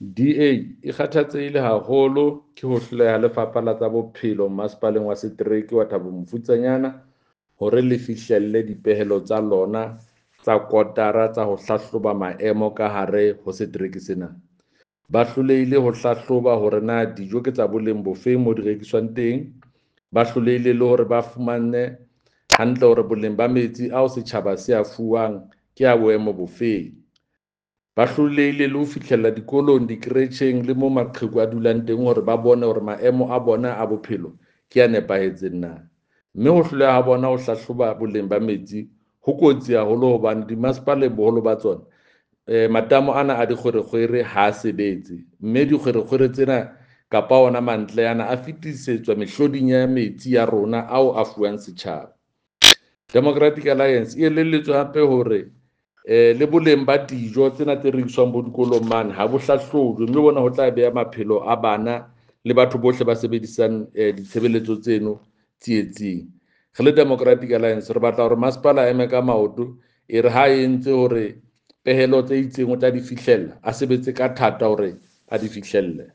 DA e kgathatsehile haholo ke ho hloleha ha Lefapha la tsa Bophelo Masepaleng wa Setereke wa Thabo Mofutsanyana hore le fihlelle dipehelo tsa lona tsa kotara tsa ho hlahloba maemo ka hare ho setereke sena. Ba hlolehile ho hlahloba hore na dijo ke tsa boleng bofeng mo di rekiswang teng. Ba hlolehile le hore ba fumane hantle hore boleng ba metsi ao setjhaba se a fuwang ke a boemo bofeng. Ba hlolehile le ho fihlella dikolong, dikeretjheng le mo maqheku a dulang teng hore ba bone hore maemo a bona a bophelo ke a nepahetseng na. Mme ho hloleha ha bona ho hlahloba boleng ba metsi ho kotsi haholo hobane dimasepaleng boholo ba tsona matamo ana a dikgwerekgwere ha a sebetse, mme dikgwerekgwere tsena kapa ona mantle ana a fetisetswa mehloding ya metsi ya rona ao a fuwang setjhaba. Democratic Alliance e elelletswe hape hore le boleng ba dijo tsena tse rekiswang bo dikolong mane ha bo hlahlojwe, mme bona ho tla beha maphelo a bana le batho bohle ba sebedisang ditshebeletso tseno tsietsing. Re le Democratic Alliance re batla hore masepala a eme ka maoto, e re ha e entse hore pehelo tse itseng o tla di fihlella, a sebetse ka thata hore a di fihlelle.